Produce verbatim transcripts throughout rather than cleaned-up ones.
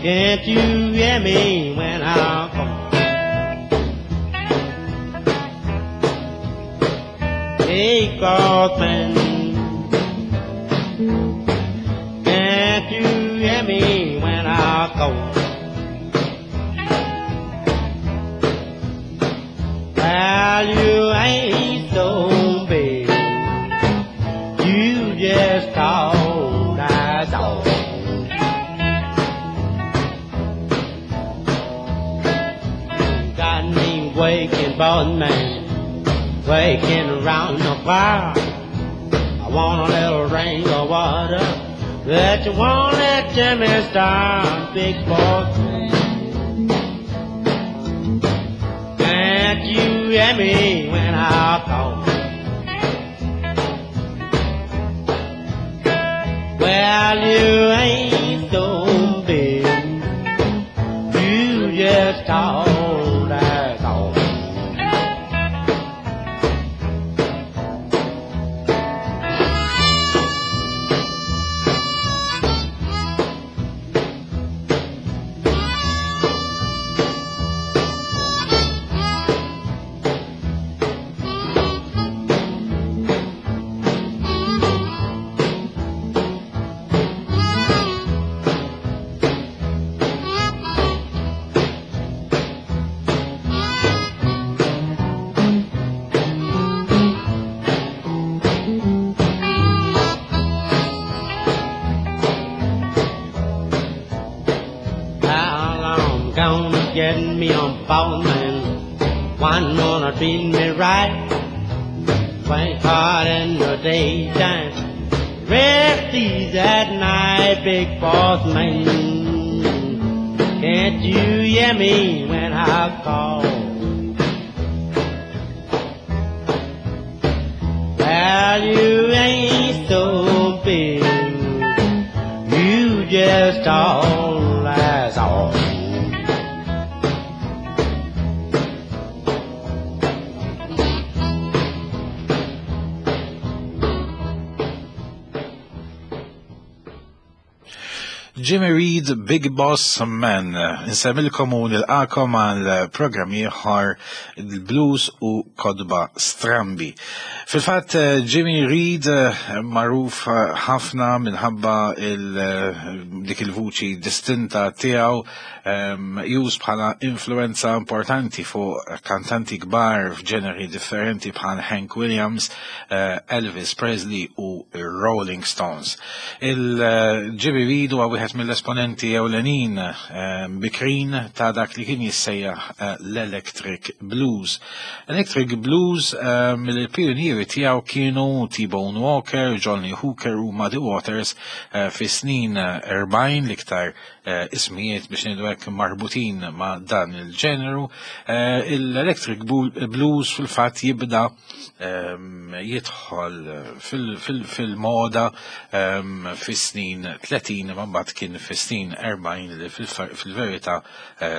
Can't you hear me when I call? Big boss man, can't you hear me when I call? Well, you ain't so big, you just call, that's all. Got me waking, boss man, waking around the fire. I want a little drink of water, but you won't let Jimmy start, big boss man. Can't you hear me when I call? Well, you ain't so big, you just talk, that's all. Well, I'm gonna get me a boss man, one gonna treat me right, work hard in the daytime, rest easy at night, big boss man. Can't you hear me when I call? Well, you ain't so big, you just talk, that's all. Jimmy Reed, Big Boss Man. Insemmilkom u nilqakom għal programm ieħor il-blues u kodba strambi. Fil-fatt Jimmy Reed magħruf ħafna minħabba il-, dik il-vuċi distinta tiegħu, już bħala influenza importanti fuq kantanti kbar f'ġeneri differenti bħal Hank Williams, Elvis Presley u Rolling Stones. Il-Jimmy Reed huwa wieħed mill-esponenti ewlenin bikrin ta' dak li kien jissejjaħ l-Electric Blues. Electric Blues mill-pionieri tiegħu kienu T-Bone Walker, Johnny Hooker u Muddy Waters fis-snin erbgħin, l-iktar ismijiet biex ngħidu hekk marbutin ma' dan il-ġeneru. Il-Electric Blues fil-fatt jibda jidħol fil-moda fis-snin tletin, ma mbagħad kien fis-snin erbgħin li fil-verità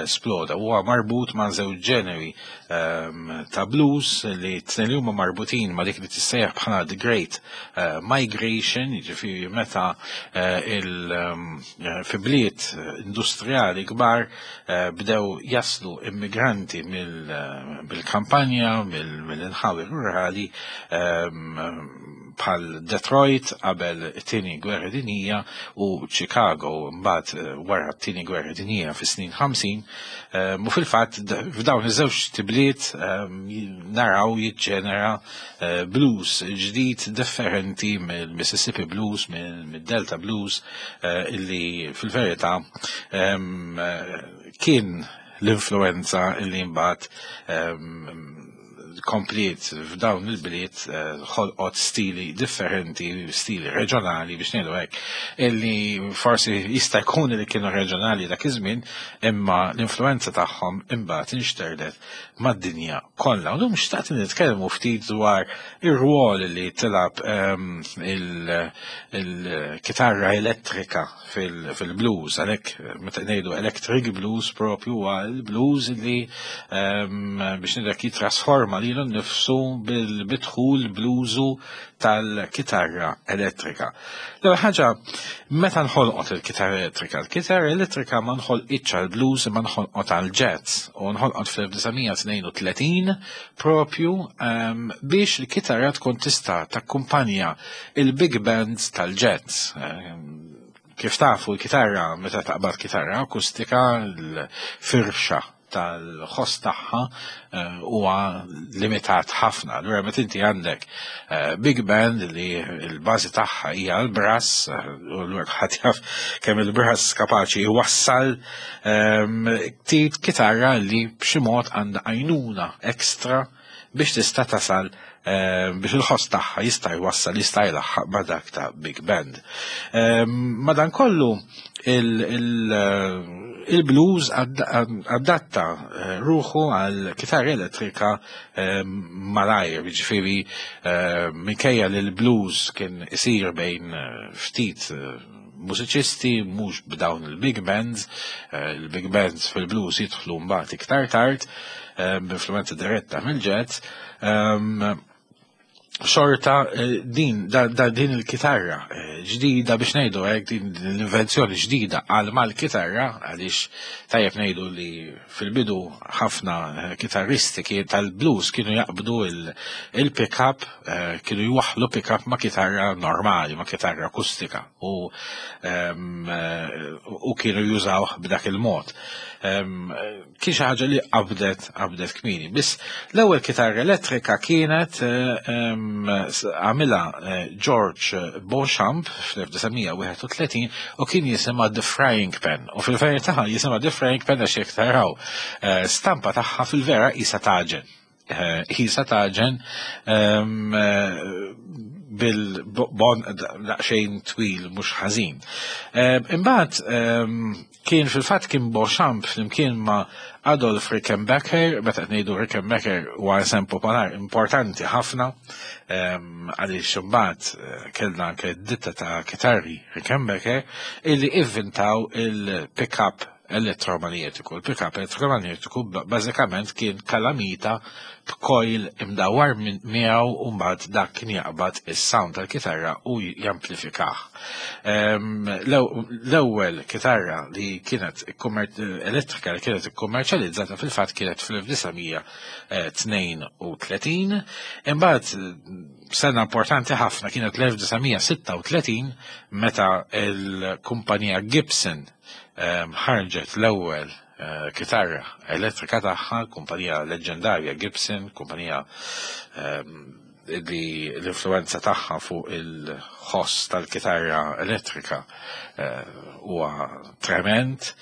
sploda. Huwa marbut ma' żewġ ġeneri ta' blues li t-tnejn li huma marbutin ma' dik li tissejjaħ bħala The Great Migration, jiġifieri meta il fi bliet industrijali kbar bdew jaslu immigranti mill-kampanja, mill-inħawi rurali bħal Detroit qabel it-tieni gwerra dinjija u Chicago mbagħad wara t-tieni gwerra dinjija fis-snin ħamsin. U fil-fatt f'dawn iż-żewġ tibliet naraw jiġġenera blues ġdid differenti mill-Mississippi Blues, mid-Delta Blues, illi fil-verità kien l-influenza illi mbagħad kompliet f'dawn il-bliet ħolqot stili differenti, stili reġjonali biex ngħidu hekk, illi forsi jista' jkun li kienu reġjonali dak iż-żmien, imma l-influenza tagħhom imbagħad inxterdet mad-dinja kollha. U llum xtaqt nitkellmu ftit dwar ir-rwol li tilab il-kitarra elettrika fil-blues, għalhekk meta ngħidu electric blues propju huwa l-blues li biex ngħidu hekk jitrasforma lilu nnifsu bil-bidħul bl-użu tal-kitarra elettrika. L-ewwel ħaġa, meta nħolqot il-kitarra elettrika? Il-kitarra elettrika ma nħolqitx għall-blues imma nħolqot għall-jazz u nħolqot fl-elf disa' mija tnejn u tletin propju ehm, biex il-kitarra tkun tista' takkumpanja il-big bands tal-jazz. Ehm, kif tafu l-kitarra, meta taqbad kitarra akustika, l-firxa tal-ħoss tagħha, eh, huwa limitat ħafna. Allura meta inti għandek, eh, big band li l-bażi tagħha hija l-brass, eh, u allura ħadd jaf kemm il-brass kapaċi jwassal, ehm, tit kitarra li b'xi mod għandha għajnuna ekstra biex tista' tasal, eh, biex il-ħoss tagħha jista' jwassal, jista' jlaħħaq ma' dak ta' big band. Ehm, madankollu il-, il-, il-blues ad-, adatta, eh, ruħu għal kitarra elettrika, eh, malajr, jiġifieri, eh, minkejja li l-blues kien isir bejn, eh, ftit, eh, mużiċisti, mhux b'dawn il-big bands, eh, il-big bands fil-blues jidħlu mbagħad iktar tard, eh, b'influenza diretta mill-jazz, ehm, xorta, eh, din, da, da, din il-kitarra, eh, ġdida biex ngħidu hekk, din l-invenzjoni ġdida għal mal-kitarra, għaliex tajjeb ngħidu li fil-bidu ħafna, eh, kitarristi kien tal-blues kienu jaqbdu il-, il-pick-up, eh, kienu jwaħħlu pick-up ma' kitarra normali, ma' kitarra akustika, u, ehm, eh, u kienu jużawh b'dak il-mod. Ehm, kien xi ħaġa li qabdet, qabdet kmieni. Biss l-ewwel kitarra elettrika kienet, eh, ehm, għamilha, eh, George Beauchamp fl-elf disa' mija wieħed u tletin u kien jisimha The Frying Pan. U fil-verità jisimha The Frying Pan għax jekk taraw, eh, stampa tagħha fil-vera qisha taġen. Eh, qisha taġen, ehm, eh, bil-bon daqsxejn twil mhux ħażin. Ehm, imbagħad, ehm, kien fil-fatt kien Beauchamp flimkien ma' Adolf Rickenbacker, meta qed ngħidu Rickenbacker huwa isem popolari importanti ħafna, ehm, għaliex imbagħad, eh, kellna anke ditta ta' kitarri Rickenbacker illi ivvintaw il-pick-up elettromagnetiku. Il-pick-up elettromagnetiku ba-, bażikament kien kalamita b'coil imdawwar minn miegħu u mbagħad dak kien jaqbad is-sound tal-kitarra u jamplifikah. Ehm, l-ew-, l-ewwel kitarra li kienet ikkummer-, elettrika li kienet ikkummerċjalizzata fil-fatt kienet fl-elf disa' mija, eh, tnejn u tletin. Imbagħad sena importanti ħafna kienet l-elf disa' mija sitta u tletin meta l-kumpanija Gibson, ehm, ħarġet l-ewwel, eh, kitarra elettrika tagħha, kumpanija leġendarja Gibson, kumpanija, ehm, li l-influenza tagħha fuq il-ħoss tal-kitarra elettrika, eh, huwa trement,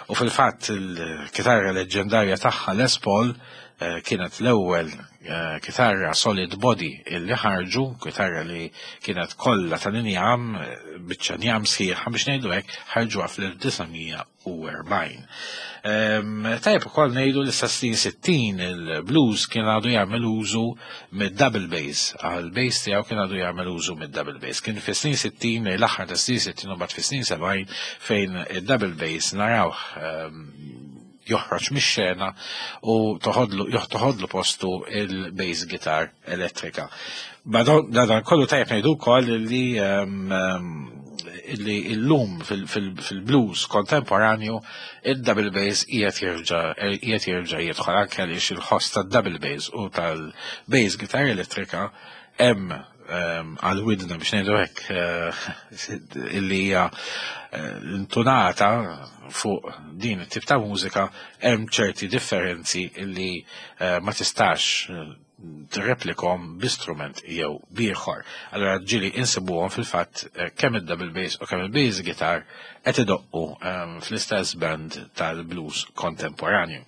u fil-fatt il-kitarra leġendarja tagħha Les Paul, eh, kienet l-ewwel, eh, kitarra solid body illi ħarġu, kitarra li kienet kollha tal-injam, eh, biċċa njam sħiħa biex ngħidu hekk, ħarġuha fl-elf disa' mija u erbgħin. Ehm, tajjeb ukoll ngħidu li sa snin sittin il-blues kien għadu jagħmel użu mid-double bass, għal-bass tiegħu kien għadu jagħmel użu mid-double bass. Kien fi snin sittin, l-aħħar ta' snin sittin u mbagħad fi snin sebgħin fejn id-double bass narawh, ehm, joħroġ mix-xena u toħodlu, toħodlu postu il-bass guitar elettrika. Madan kollu tajjeb ngħidu wkoll li, ehm, ehm, li llum fil-, fil-, fil-blues kontemporanju il-double bass qiegħed jerġa', qiegħed jerġa' jidħol anke għaliex il-ħoss tad-double bass u tal-bass guitar elettrika hemm, ehm, għal-widna biex ngħidu hekk, eh, illi hija, eh, intunata fuq din it-tip ta' mużika, hemm ċerti differenzi illi, eh, ma tistax, eh, tirreplikom b'istrument jew b'ieħor. Allora ġieli insibuhom fil-fatt, eh, kemm id-double bass u kemm il-bass guitar qed idoqqu, ehm, fl-istess band tal-blues kontemporanju.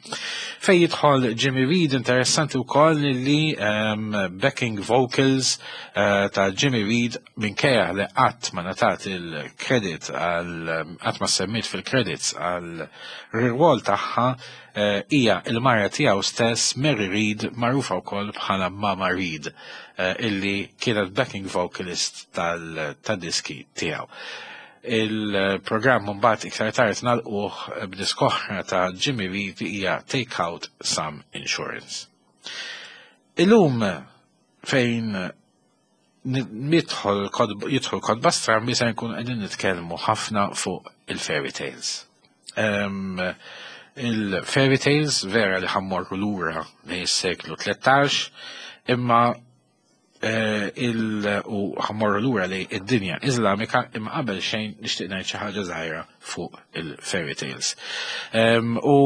Fej jidħol Jimmy Reed, interessanti wkoll li, ehm, backing vocals, eh, ta' Jimmy Reed minkejja li qatt ma ngħatat il-credit għal, qatt ma semmit fil-credits għal rwol tagħha, eh, hija il-mara tiegħu stess Mary Reed, magħrufa wkoll bħala Mama Reed, eh, illi kienet backing vocalist tal-, tad-diski tiegħu. Il-programm mbagħad iktar tard nagħlquh b'diskoħra ta' Jimmy Reed hija Take Out Some Insurance. Illum fejn nidħol jidħol kotba strambi se nkun qegħdin nitkellmu ħafna fuq il-fairy tales. Il-fairy tales vera li ħa mmorru lura lejn is-seklu tlettax, imma eh, il u ħa mmorru lura lejn id-dinja Iżlamika, imma qabel xejn nixtieq ngħid xi ħaġa żgħira fuq il-fairy tales. U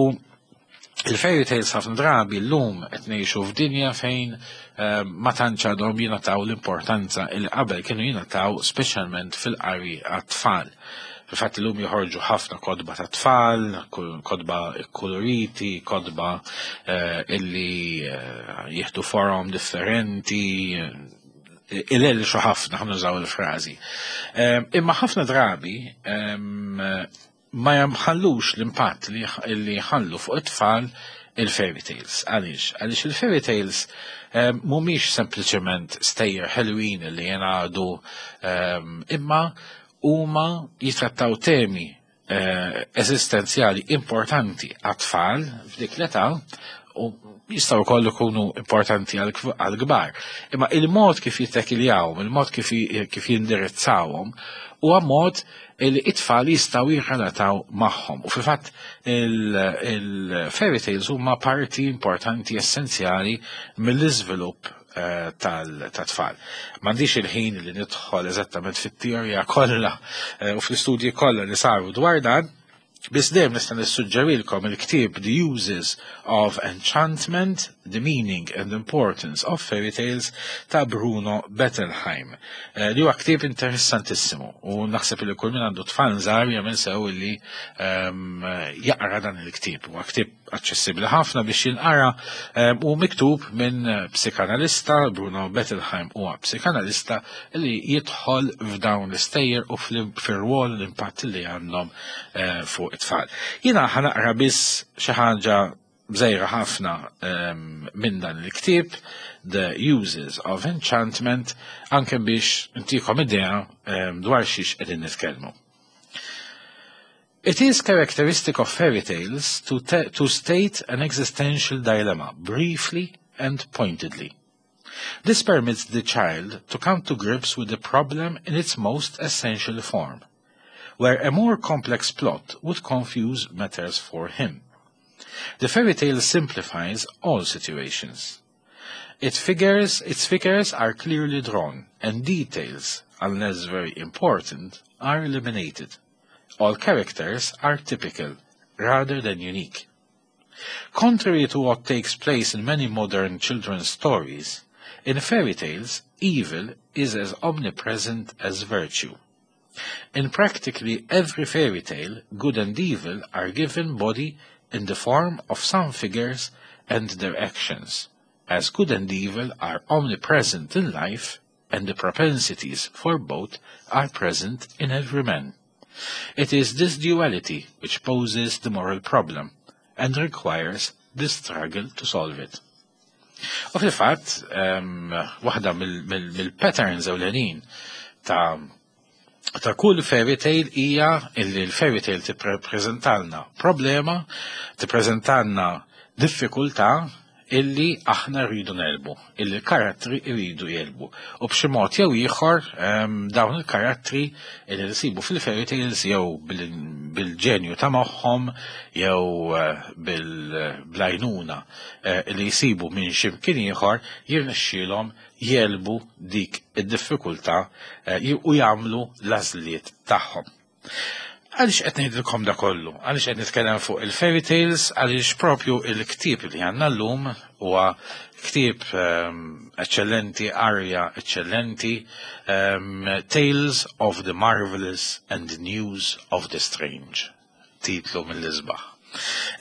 il-fairy tales, ħafna drabi llum qed ngħixu f'dinja fejn ma tantx għadhom jingħataw l-importanza il qabel kienu jingħataw, speċjalment fil-qari għat-tfal. Fil-fatt illum joħorġu ħafna kotba ta' tfal, kotba koloriti, kotba eh, illi eh, jieħdu forom differenti, ilelxu ħafna, ħa nużaw il-frażi. Imma ħafna drabi ma jħallux l-impatt li jħallu fuq it-tfal il-fairy tales. Għaliex? Għaliex il-fairy tales mhumiex sempliċement stejjer ħelwin li jingħadu, imma huma jitrattaw temi eh, eżistenzjali importanti għat-tfal f'dik l-età u jistgħu wkoll ikunu importanti għal-kbar. Imma il-mod kif jittekiljawhom, il-mod kif jindirizzawhom, huwa mod li it-tfal jistgħu jirrelataw magħhom. U fil-fatt il-fairy tales huma parti importanti, essenzjali mill-iżvilupp eh, tal-tfal. M'għandix il-ħin li nidħol eżattament fit-teorija kollha eh, u fl-istudji kollha li saru dwar dan, biss dejjem nista' nissuġġerilkom il-ktieb The Uses of Enchantment, The Meaning and Importance of Fairy Tales ta' Bruno Bettelheim, eh, li huwa ktieb interessantissimu u naħseb li kull min għandu tfal żgħar jagħmel sew li ehm, jaqra dan il-ktieb. Huwa ktieb aċċessibbli ħafna biex jinqara ehm, u miktub minn psikanalista. Bruno Bettelheim huwa psikanalista li jidħol f'dawn l-istejjer u fir-rwol, l-impatt li għandhom eh, fuq it-tfal. Jiena ħa naqra biss xi ħaġa żgħira ħafna um, minn dan il-ktieb The Uses of Enchantment, anke biex intikom idea um, dwar xiex qegħdin nitkellmu. It is characteristic of fairy tales to, to state an existential dilemma briefly and pointedly. This permits the child to come to grips with the problem in its most essential form, where a more complex plot would confuse matters for him. The fairy tale simplifies all situations. It figures, its figures are clearly drawn, and details, unless very important, are eliminated. All characters are typical, rather than unique. Contrary to what takes place in many modern children's stories, in fairy tales, evil is as omnipresent as virtue. In practically every fairy tale, good and evil are given body in the form of some figures and their actions, as good and evil are omnipresent in life and the propensities for both are present in every man. It is this duality which poses the moral problem and requires the struggle to solve it. U fil-fatt, um, waħda mill-patterns ewlenin ta' ta' kull fairy tale hija illi l-fairy tale tippreżentalna problema, tippreżentalna diffikultà illi aħna rridu negħlbu, illi l-karattri rridu jegħlbu. U b'xi mod jew ieħor dawn il-karattri illi nsibu fil-fairy tales, jew bil-ġenju ta' moħħhom jew eh, bil-għajnuna eh, li jsibu minn ximkien ieħor, jirnexxielhom jegħlbu dik id-diffikultà eh, u jagħmlu l-għażliet tagħhom. Għaliex qed ngħidilkom da kollu? Għaliex qed nitkellem fuq il-fairy tales? Għaliex propju il-ktieb li għandna llum huwa ktieb um, eccellenti, arja eccellenti, um, Tales of the Marvelous and the News of the Strange. Titlu mill-isbaħ.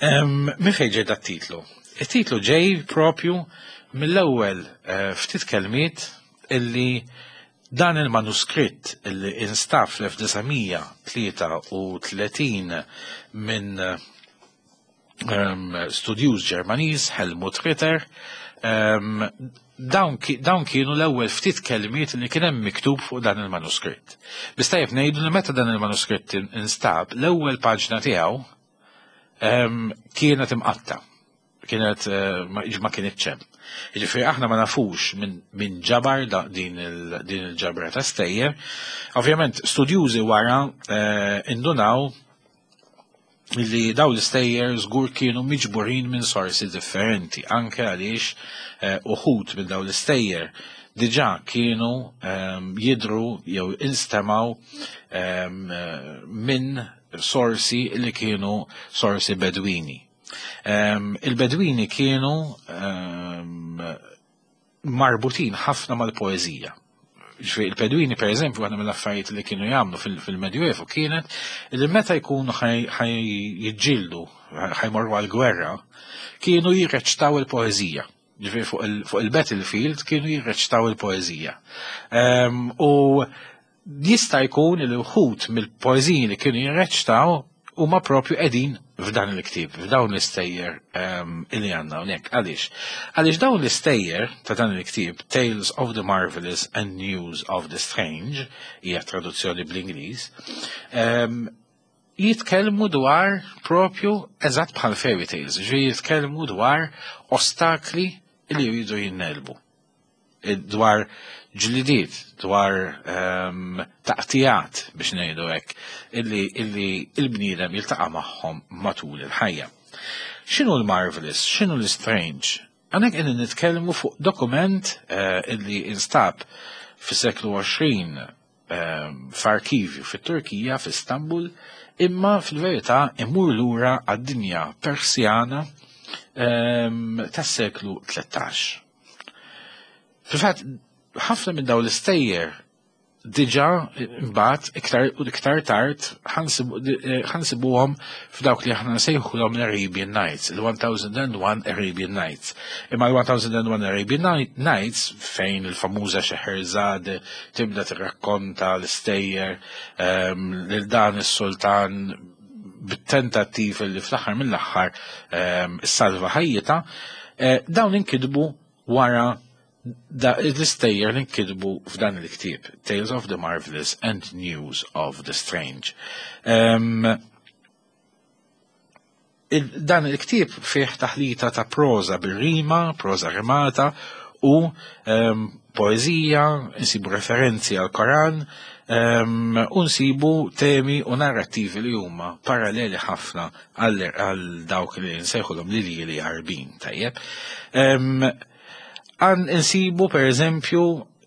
Um, Min fejn ġej dat-titlu? Il-titlu ġej propju mill-ewwel uh, ftit kelmiet illi dan il-manuskritt illi instab fl-elf disa' mija tlieta u tletin minn um, studjuż Ġermaniż Helmut Ritter, um, dawn, dawn kienu l-ewwel ftit kelmiet li kien hemm miktub fuq dan il-manuskritt. Biss tajjeb ngħidu li meta dan il-manuskritt instab, l-ewwel paġna tiegħu um, kienet imqatta'. Kienet uh, ma, ma kienet hemm. Jiġifieri aħna ma nafux min, min ġabar din il-ġabra ta' stejjer. Ovvjament studjużi wara eh, indunaw li daw l-istejjer żgur kienu miġburin minn sorsi differenti, anke għaliex eh, uħud minn daw l-istejjer diġà kienu ehm, jidru jew instemaw ehm, minn sorsi li kienu sorsi bedwini. Ehm, il-bedwini kienu marbutin ħafna mal-poezija. Il-Bedwini, per eżempju, għandna mill-affarijiet li kienu jagħmlu fil-Medjuevu kienet li meta jkunu ħaj jiġġieldu, ħajmorru għal-gwerra, kienu jirreċtaw il-poezija. Ġifieri fuq il-battlefield kienu jirreċtaw il-poezija. U jista' jkun li wħud mill-poeziji li kienu jirreċtaw huma propju qegħdin f'dan il-ktieb, f'dawn l-istejjer um, illi għandna hawnhekk. Għaliex? Għaliex dawn l-istejjer ta' dan il-ktieb, Tales of the Marvelous and News of the Strange, hija traduzzjoni bl-Ingliż, um, jitkellmu dwar propju eżatt bħal fairy tales, ġi jitkellmu dwar ostakli li jridu jinnelbu dwar ġlidiet, dwar um, taqtijat biex ngħidu hekk, illi, illi il-bniedem jiltaqa' magħhom matul il-ħajja. X'inhu l-marvelous, x'inhu l-strange? Għanek qegħdin nitkellmu fuq dokument uh, illi instab fis-seklu għoxrin um, f'arkivju fit-Turkija, f'Istanbul, imma fil-verità imur lura għad-dinja Persjana um, tas-seklu tlettax. Fil-fatt, ħafna minn dawn l-istejjer diġà mbagħad iktar u iktar tard ħansibuhom f'dawk li aħna nsejħulhom l-Arabian Nights, il-one thousand and one Arabian Nights. Imma l-one thousand and one Arabian Nights, fejn il-famuża Scheherazade tibda tirrakkonta l-istejjer ehm, lil dan is-sultan bit-tentattiv li fl-aħħar mill-aħħar ehm, salva ħajjita, eh, dawn inkitbu wara l-istejjer li nkitbu f'dan il-ktieb, Tales of the Marvelous and News of the Strange. Um, il dan il-ktieb fih taħlita ta' proza bil-rima, proza rimata u um, poezija, nsibu referenzi għal Koran, um, u nsibu temi u narrativi li huma paralleli ħafna għal dawk li nsejħulhom li li Għarbin, tajjeb. Um, Għan insibu per eżempju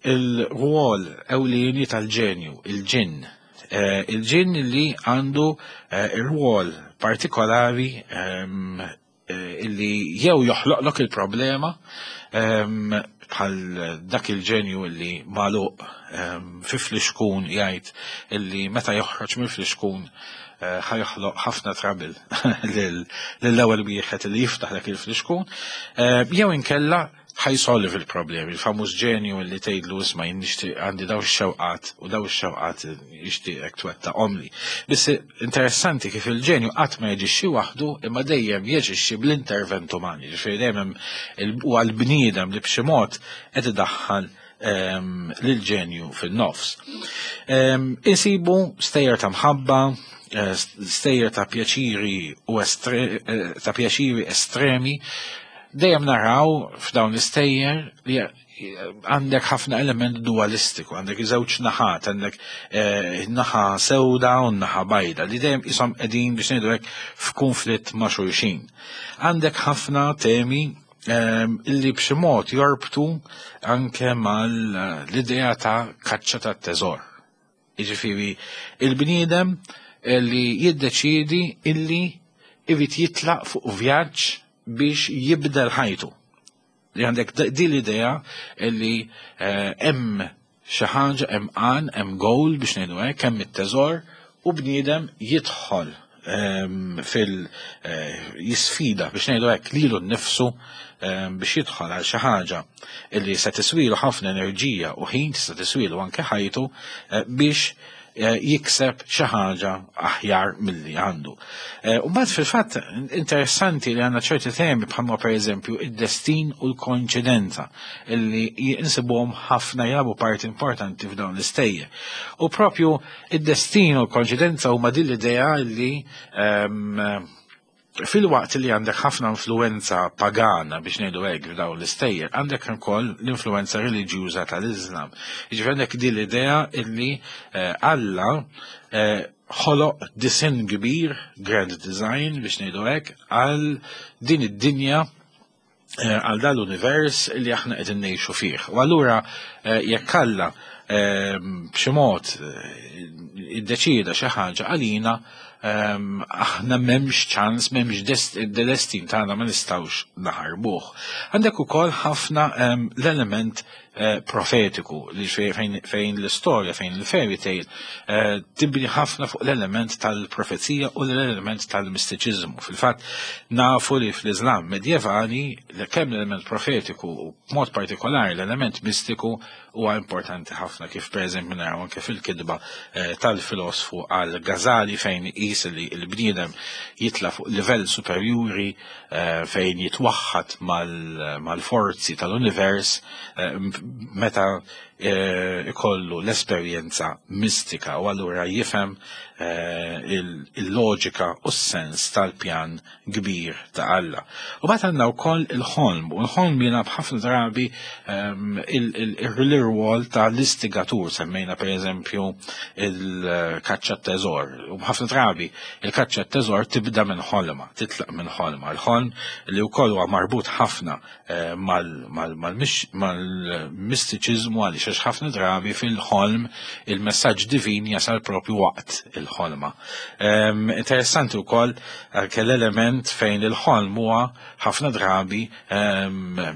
il-rwol ewlieni tal-ġenju, il-ġinn. Eh, il-ġinn li għandu eh, il-rwol partikolari ehm, eh, illi jew joħloqlok il-problema ehm, bħal dak il-ġenju illi magħluq ehm, fi flixkun, jgħid illi meta joħroġ mill-flixkun ħa joħloq ħafna trouble lill-ewwel wieħed li jiftaħ dak il-flixkun, jew inkella ħa jsolvi il-problemi, il-famuż ġenju li tgħidlu: "Isma', jien nixtieq, għandi daw ix-xewqat u daw ix-xewqat nixtieqek twettaqhomli." Biss interessanti kif il-ġenju qatt ma jaġixxi waħdu, imma dejjem jaġixxi bl-intervent umani, ġifieri dejjem huwa l-bniedem li b'xi mod qed idaħħal ehm, lil-ġenju fin-nofs. Ehm, insibu stejjer ta' mħabba, eh, stejjer ta' pjaċiri u eh, ta' pjaċiri estremi. Dejjem naraw f'dawn l-istejjer li għandek ħafna element dualistiku, għandek żewġ naħat, għandek eh, naħa sewda u naħa bajda, li dejjem isom qegħdin, biex ngħidu hekk, f'konflitt ma' xulxin. Għandek ħafna temi ehm, illi b'xi mod jorbtu anke mal-idea ta' kaċċa ta' teżor. Jiġifieri il-bniedem li jiddeċidi illi irid jitlaq fuq vjaġġ biex jibdel ħajtu. Li għandek din l-idea li eh, hemm xi ħaġa, hemm għan, hemm goal, biex ngħidu hekk, hemm it-teżor u bniedem jidħol ehm, fil eh, jisfida, biex ngħidu hekk, lilu nnifsu ehm, biex jidħol għal xi ħaġa illi se tiswilu ħafna enerġija u ħin, tista' tiswilu anke ħajtu, eh, biex eh, jikseb xi ħaġa aħjar milli għandu. Eh, u mbagħad fil-fatt interessanti li għandna ċerti temi bħalma per eżempju id-destin u l-koinċidenza, illi jinsibuhom ħafna, jilagħbu parti importanti f'dawn l-istejjer. U propju id-destin u l-koinċidenza huma din l-idea li ehm, Fil-waqt li għandek ħafna influenza pagana biex ngħidu hekk f'dawn l-istejjer, għandek ukoll l-influenza reliġjuża tal-Iżlam. Jiġifieri għandek din l-idea illi eh, Alla eh, ħoloq disinn kbir, grand design biex ngħidu hekk, għal din id-dinja eh, għal dan l-univers li aħna qegħdin ngħixu fih. U allura jekk Alla b'xi mod iddeċieda xi ħaġa għalina, aħna m'hemmx ċans, m'hemmx destin tagħna ma nistgħux naħarbuh. Għandek ukoll ħafna l-element eh, profetiku li fejn l-istorja, fejn il-fairy tale eh, tibni ħafna fuq l-element tal-profezija u l-element tal-mistiċiżmu. Fil-fatt nafu li fl-Islam medjevali kemm l-element profetiku u b'mod partikolari l-element mistiku huwa importanti ħafna, kif pereżempju naraw anke fil-kitba eh, tal-filosfu Al-Ghazali fejn qis li l-bniedem jitla fuq livell superjuri eh, fejn jitwaħħad mal-forzi tal-univers eh, meta ikollu l-esperjenza mistika u allura jifhem il-loġika u s-sens tal-pjan kbir ta' Alla. U mbagħad għandna wkoll il-ħolm, u l-ħolm jilgħab ħafna drabi il-rwol ta' l-istigatur, semmejna per eżempju il-kaċċa teżor. U ħafna drabi il-kaċċa teżor tibda minn ħolma, titlaq minn ħolma. Il-ħolm li wkoll huwa marbut ħafna mal-mistiċiżmu għaliex għax ħafna drabi fil-ħolm il-messaġġ divin jasal propju waqt il-ħolma. Interessanti wkoll anke l-element fejn il-ħolm huwa ħafna drabi,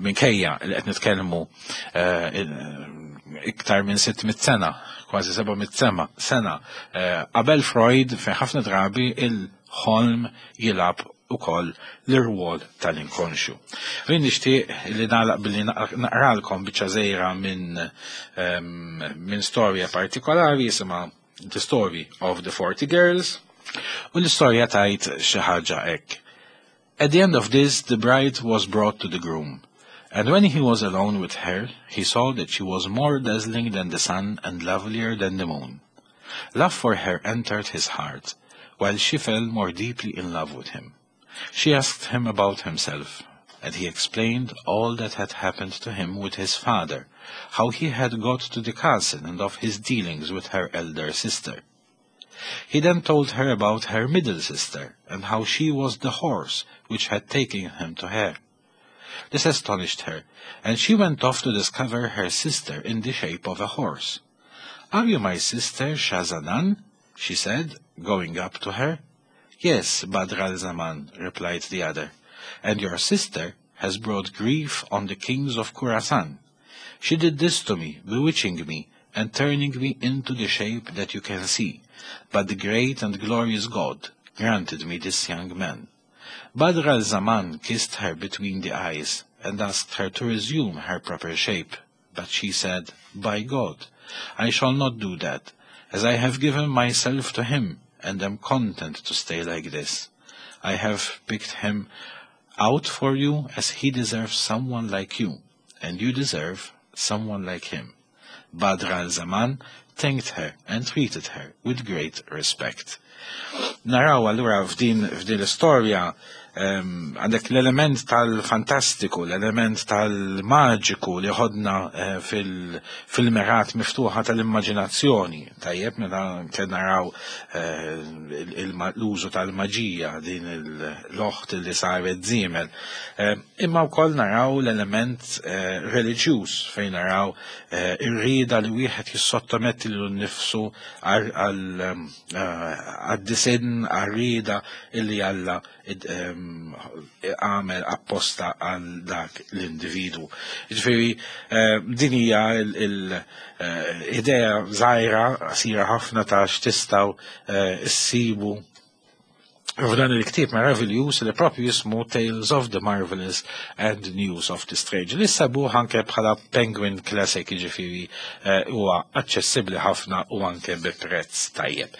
minkejja li qed nitkellmu iktar minn sitt mitt sena, kważi seba' mitt sena, sena qabel Freud, fejn ħafna drabi il-ħolm jilgħab ukoll l-irwol tal-inkonxju. Jien nixtieq li nagħlaq billi naqralkom biċċa żgħira minn min storja partikolari jisimha The Story of the Forty Girls, u l-istorja tgħid xi ħaġa hekk. At the end of this, the bride was brought to the groom. And when he was alone with her, he saw that she was more dazzling than the sun and lovelier than the moon. Love for her entered his heart, while she fell more deeply in love with him. She asked him about himself, and he explained all that had happened to him with his father, how he had got to the castle and of his dealings with her elder sister. He then told her about her middle sister, and how she was the horse which had taken him to her. This astonished her, and she went off to discover her sister in the shape of a horse. "Are you my sister Shahzanan?" she said, going up to her. "Yes, Badr al-Zaman," replied the other, "and your sister has brought grief on the kings of Khurasan. She did this to me, bewitching me and turning me into the shape that you can see. But the great and glorious God granted me this young man." Badr al-Zaman kissed her between the eyes and asked her to resume her proper shape. But she said, "By God, I shall not do that, as I have given myself to him and am content to stay like this. I have picked him out for you as he deserves someone like you, and you deserve someone like him." Badr al-Zaman thanked her and treated her with great respect. Naraw allura f'din f'din l-istorja għandek l-element tal-fantastiku, l-element tal-maġiku li ħodna eh, fil-mergħat miftuħa tal-immaġinazzjoni. Tajjeb, meta kien naraw eh, l-użu tal-maġija, din l-oħt li saret żiemel. Eh, imma wkoll naraw l-element reliġjuż fejn naraw ir-rieda li wieħed jissottometti lilu nnifsu għad-disinn, għar-rieda illi Alla għamel apposta għal dak l-individu. Ġifieri, eh, din hija l-idea żgħira, qasira ħafna ta' x'tistgħu eh, issibu f'dan il-ktieb meraviljuż li propju jismu Tales of the Marvelous and News of the Strange. Li ssibuh anke bħala Penguin Classic, ġifieri eh, huwa aċċessibbli ħafna u anke bi prezz tajjeb.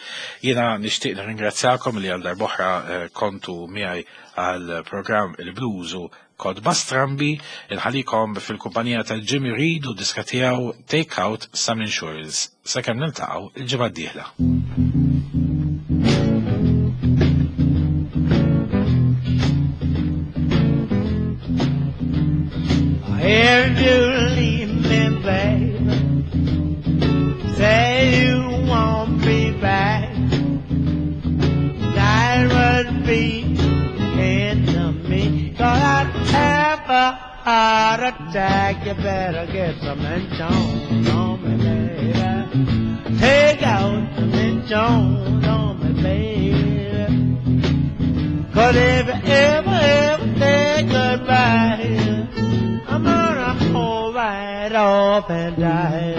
Jiena nixtieq nirringrazzjakom li għal darb'oħra eh, kontu miegħi għal programm il-Blues u Kotba Strambi, inħallikom fil-kumpanija ta' Jimmy Reed u diska tiegħu Take Out Some Insurance. Sakemm niltaqgħu il-ġimgħa d-dieħla. If you leave me, baby, say you won't be back, that would be end to me, 'cause I'd have a heart attack. You better get some insurance on me, baby. Take out some insurance on me, baby. 'Cause if you ever, ever say goodbye, I'm gonna hold right off and die.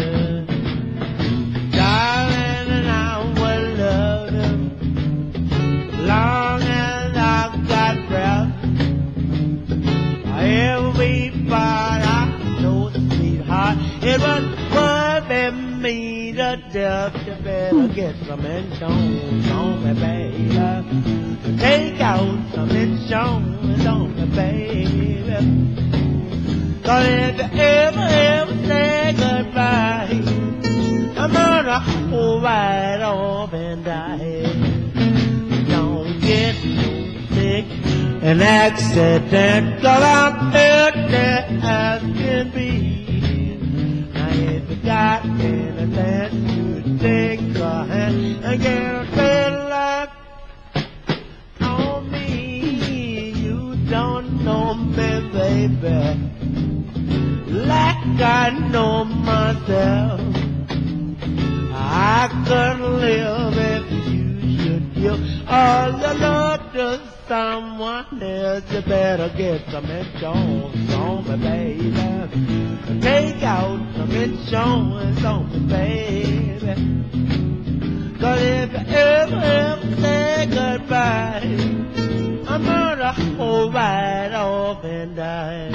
Darling, and I will love you long as I've got breath. Every part I know, sweetheart, it was worth me to death. You better get some insurance on me, baby. Take out some insurance on me, baby. 'Cause if you ever, ever say goodbye, I'm gonna hold right off and die. Don't get sick, an accident, 'cause I'm empty as can be. Now if you got anything to take a hand and get a good luck on me. You don't know me, baby, like I know myself. I couldn't live if you should give all your love to someone else. You better get some insurance on me, baby. Take out some insurance on me, baby. 'Cause if you ever, ever say goodbye, I'm gonna hold right off and die.